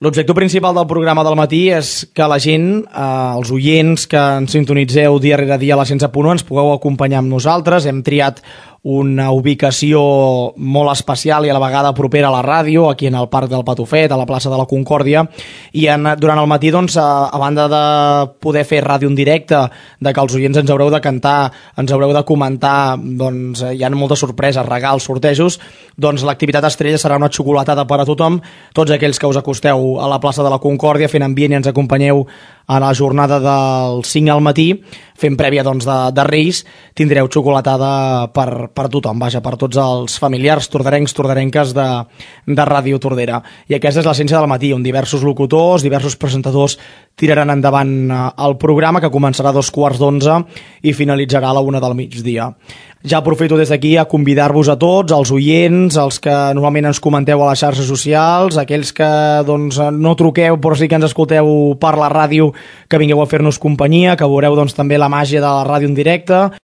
L'objectiu principal del programa del matí és que la gent, els oients que ens sintonitzeu dia rere dia a la 100.1, ens pugueu acompanyar amb nosaltres. Hem triat una ubicació molt especial i a la vegada propera a la ràdio, aquí en el Parc del Patufet, a la plaça de la Concòrdia, i durant el matí, doncs, a banda de poder fer ràdio en directe, de que els oients ens haureu de cantar, ens haureu de comentar, doncs hi ha moltes sorpreses, regals, sortejos, doncs l'activitat estrella serà una xocolatada per a tothom. Tots aquells que us acosteu a la plaça de la Concòrdia fent ambient i ens acompanyeu a la jornada del 5 al matí, fent prèvia doncs, de Reis, tindreu xocolatada per tothom, vaja, per tots els familiars tordarenques de Ràdio Tordera. I aquesta és l'essència del matí, on diversos locutors, diversos presentadors tiraran endavant el programa, que començarà a 2:15 i finalitzarà a la 1 del migdia. Ja aprofito des d'aquí a convidar-vos a tots, els oients, els que normalment ens comenteu a les xarxes socials, aquells que doncs, no truqueu però sí que ens escolteu per la ràdio, que vingueu a fer-nos companyia, que veureu doncs, també la màgia de la ràdio en directe.